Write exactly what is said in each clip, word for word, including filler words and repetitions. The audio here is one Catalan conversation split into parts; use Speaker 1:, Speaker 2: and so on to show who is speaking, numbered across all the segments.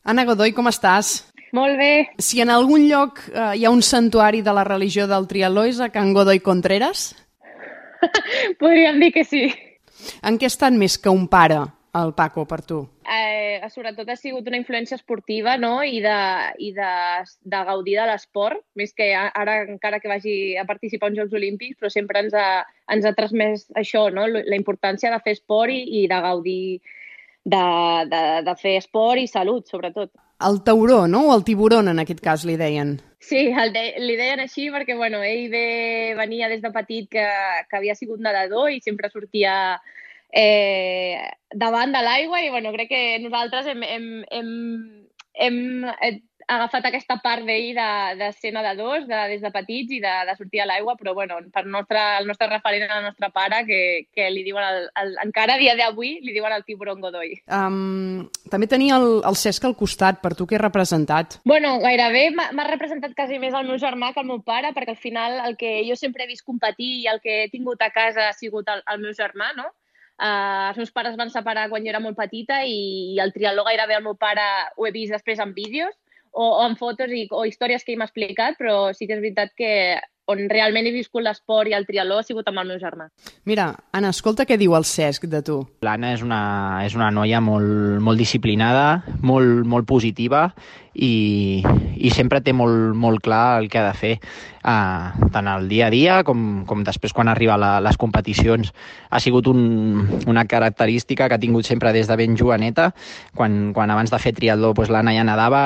Speaker 1: Anna Godoy, com estàs?
Speaker 2: Molt bé.
Speaker 1: Si en algun lloc eh, hi ha un santuari de la religió del triatló és a Can Godoy Contreras?
Speaker 2: Podríem dir que sí.
Speaker 1: En què ha estat més que un pare, el Paco, per tu?
Speaker 2: Eh, sobretot ha sigut una influència esportiva, no? I, de, i de, de gaudir de l'esport, més que ara encara que vagi a participar en Jocs Olímpics, però sempre ens ha, ens ha transmès això, no? La importància de fer esport i, i de gaudir de, de, de fer esport i salut, sobretot.
Speaker 1: El tauró, no? O el tiburon, en aquest cas, li deien.
Speaker 2: Sí, el de, li deien així perquè bueno, ell ve, venia des de petit que, que havia sigut nedador i sempre sortia eh, davant de l'aigua i bueno, crec que nosaltres hem, hem, hem, hem agafat aquesta part d'ell de, de ser nedadors de, des de petits i de, de sortir a l'aigua, però bueno, per nostre, el nostre referent és el nostre pare, que, que li diuen, el, el, encara a dia d'avui, li diuen el tiburon Godoy.
Speaker 1: Um, també tenia el, el Cesc al costat, per tu què ha representat?
Speaker 2: Bueno, gairebé m'ha representat quasi més el meu germà que el meu pare, perquè al final el que jo sempre he vist competir i el que he tingut a casa ha sigut el, el meu germà, no? Uh, els meus pares van separar quan jo era molt petita i, i el triatló gairebé el meu pare ho he vist després en vídeos o, o en fotos i, o històries que ell m'ha explicat, però sí que és veritat que on realment he viscut l'esport i el triatló ha sigut amb el meu germà.
Speaker 1: Mira, Anna, escolta què diu el Cesc de tu.
Speaker 3: L'Anna és una, és una noia molt, molt disciplinada, molt, molt positiva i, i sempre té molt, molt clar el que ha de fer, uh, tant el dia a dia com, com després quan arriba a la, les competicions. Ha sigut un, una característica que ha tingut sempre des de ben joveneta. Quan, quan abans de fer triatló doncs l'Anna ja nedava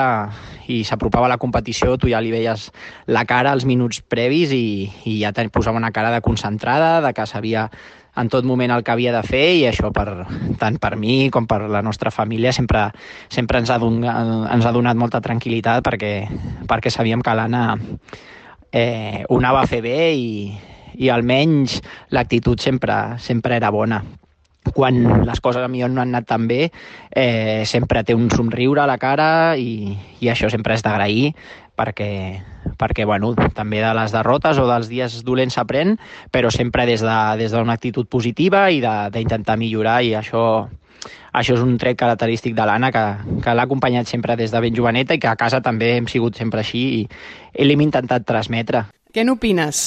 Speaker 3: i s'apropava a la competició, tu ja li veies la cara als minuts previs i, i ja te posava una cara de concentrada, de que sabia en tot moment el que havia de fer i això per, tant per mi com per la nostra família sempre, sempre ens, ha donat, ens ha donat molta tranquil·litat perquè, perquè sabíem que l'Anna eh, ho anava a fer bé i, i almenys l'actitud sempre, sempre era bona. Quan les coses millor no han anat tan bé, eh, sempre té un somriure a la cara i, i això sempre és d'agrair perquè, perquè bueno, també de les derrotes o dels dies dolents s'aprèn, però sempre des de, des d'una actitud positiva i d'intentar millorar i això, això és un tret característic de l'Anna que, que l'ha acompanyat sempre des de ben joveneta i que a casa també hem sigut sempre així i, i l'hem intentat transmetre.
Speaker 1: Què n'opines?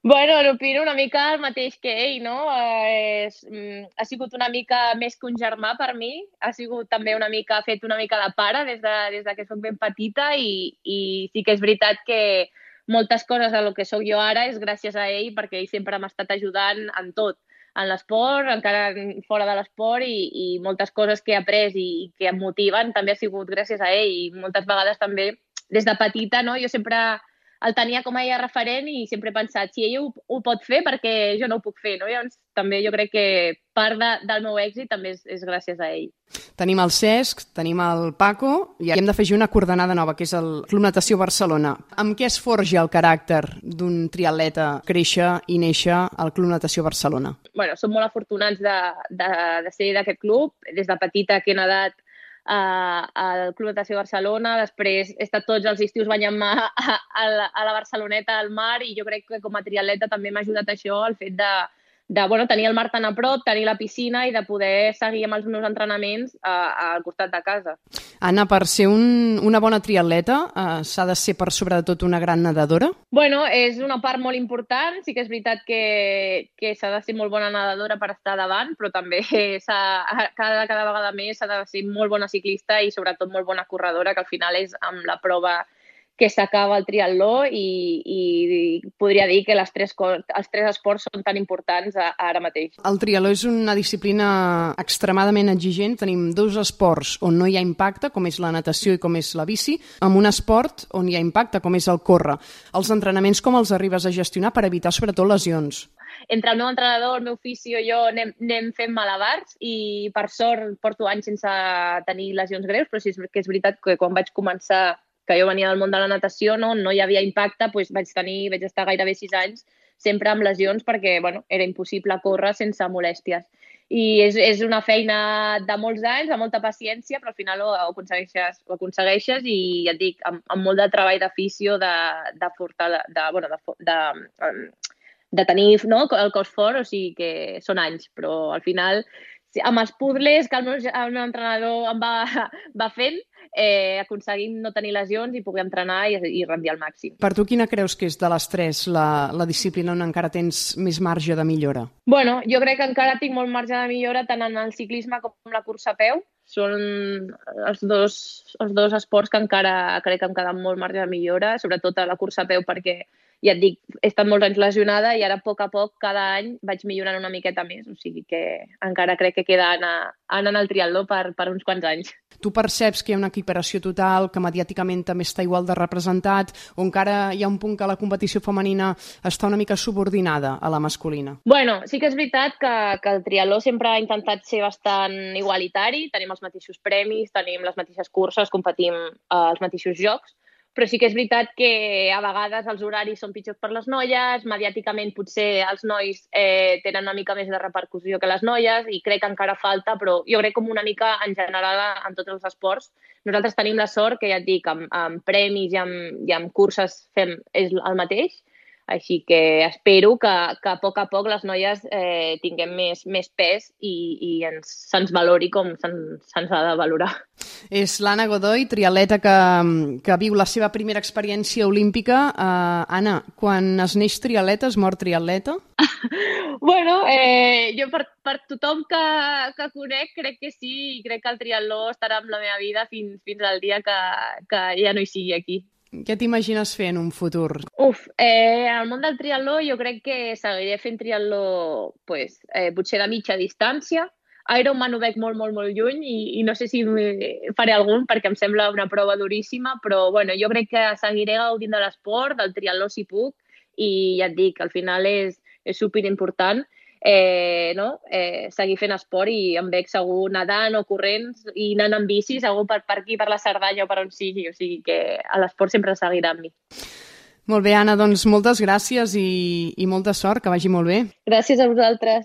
Speaker 2: Bueno, n'opino una mica el mateix que ell, no? Eh, és, mm, ha sigut una mica més que un germà per mi, ha sigut també una mica, ha fet una mica de pare des de, des de que soc ben petita i, i sí que és veritat que moltes coses del que sóc jo ara és gràcies a ell perquè ell sempre m'ha estat ajudant en tot, en l'esport, encara fora de l'esport i, i moltes coses que he après i, i que em motiven també ha sigut gràcies a ell i moltes vegades també des de petita, no? Jo sempre el tenia com a ella referent i sempre he pensat, si ella ho, ho pot fer, perquè jo no ho puc fer, no? Llavors, també jo crec que part de, del meu èxit també és, és gràcies a ell.
Speaker 1: Tenim el Cesc, tenim el Paco i hem d'afegir una coordenada nova, que és el Club Natació Barcelona. Amb què es forja el caràcter d'un triatleta créixer i néixer al Club Natació Barcelona? Bueno,
Speaker 2: som molt afortunats de, de, de ser d'aquest club. Des de petita que he nedat Uh, al Club Natació Barcelona, després he estat tots els estius banyant-me a, a, a la Barceloneta al mar i jo crec que com a triatleta també m'ha ajudat això, el fet de, de bueno, tenir el mar tan a prop, tenir la piscina i de poder seguir amb els meus entrenaments uh, al costat de casa.
Speaker 1: Anna, per ser un, una bona triatleta uh, s'ha de ser per sobre de tot una gran nedadora?
Speaker 2: Bueno, és una part molt important, sí que és veritat que, que s'ha de ser molt bona nedadora per estar davant, però també cada, cada vegada més s'ha de ser molt bona ciclista i sobretot molt bona corredora, que al final és amb la prova que s'acaba el triatló i, i, i podria dir que les tres, els tres esports són tan importants a, a ara mateix.
Speaker 1: El triatló és una disciplina extremadament exigent. Tenim dos esports on no hi ha impacte, com és la natació i com és la bici, amb un esport on hi ha impacte, com és el córrer. Els entrenaments com els arribes a gestionar per evitar sobretot lesions?
Speaker 2: Entre el meu entrenador, el meu fisio i jo anem, anem fent malabars i per sort porto anys sense tenir lesions greus, però sí que és veritat que quan vaig començar que jo venia del món de la natació, no, no hi havia impacte, doncs vaig tenir, vaig estar gairebé sis anys sempre amb lesions perquè bueno, era impossible córrer sense molèsties. I és, és una feina de molts anys, de molta paciència, però al final ho, ho, aconsegueixes, ho aconsegueixes i ja et dic, amb, amb molt de treball d'afició, de, de, de, de, bueno, de, de, de tenir no, el cos fort, o sigui que són anys, però al final sí, amb els puzzles que el meu, el meu entrenador em va, va fent, eh, aconseguim no tenir lesions i poder entrenar i, i rendir al màxim.
Speaker 1: Per tu quina creus que és de les tres la, la disciplina on encara tens més marge de millora?
Speaker 2: Bueno, jo crec que encara tinc molt marge de millora tant en el ciclisme com en la cursa a peu. Són els dos, els dos esports que encara crec que em queden molt marge de millora, sobretot a la cursa a peu perquè, ja et dic, he estat molts anys lesionada i ara a poc a poc, cada any, vaig millorant una miqueta més. O sigui que encara crec que queda anar, anar al triatló per, per uns quants anys.
Speaker 1: Tu perceps que hi ha una equiparació total, que mediàticament també està igual de representat, o encara hi ha un punt que la competició femenina està una mica subordinada a la masculina?
Speaker 2: Bueno, sí que és veritat que, que el triatló sempre ha intentat ser bastant igualitari, tenim els mateixos premis, tenim les mateixes curses, competim als mateixos jocs, però sí que és veritat que a vegades els horaris són pitjors per les noies, mediàticament potser els nois eh, tenen una mica més de repercussió que les noies i crec que encara falta, però jo crec com una mica en general en tots els esports. Nosaltres tenim la sort que, ja et dic, amb, amb premis i amb, i amb curses fem és el mateix, així que espero que, que a poc a poc les noies eh, tinguem més, més pes i, i ens, se'ns valori com se'ns, se'ns ha de valorar.
Speaker 1: És l'Anna Godoy, triatleta que, que viu la seva primera experiència olímpica. Uh, Anna, quan es neix triatleta, es mor triatleta?
Speaker 2: Bueno, eh, jo per, per tothom que, que conec crec que sí i crec que el triatló estarà amb la meva vida fins, fins al dia que, que ja no hi sigui aquí.
Speaker 1: Què t'imagines fer en un futur?
Speaker 2: Uf, eh, en el món del triatló jo crec que seguiré fent triatló pues, eh, potser de mitja distància. Ironman ho veig molt, molt, molt lluny i, i no sé si faré algun perquè em sembla una prova duríssima, però bueno, jo crec que seguiré gaudint de l'esport, del triatló si puc, i ja et dic, al final és, és superimportant eh, no? eh, seguir fent esport i em veig segur nedant o corrents i anant amb bici, segur per, per aquí, per la Cerdanya o per on sigui, o sigui que l'esport sempre seguirà amb mi.
Speaker 1: Molt bé, Anna, doncs moltes gràcies i, i molta sort, que vagi molt bé.
Speaker 2: Gràcies a vosaltres.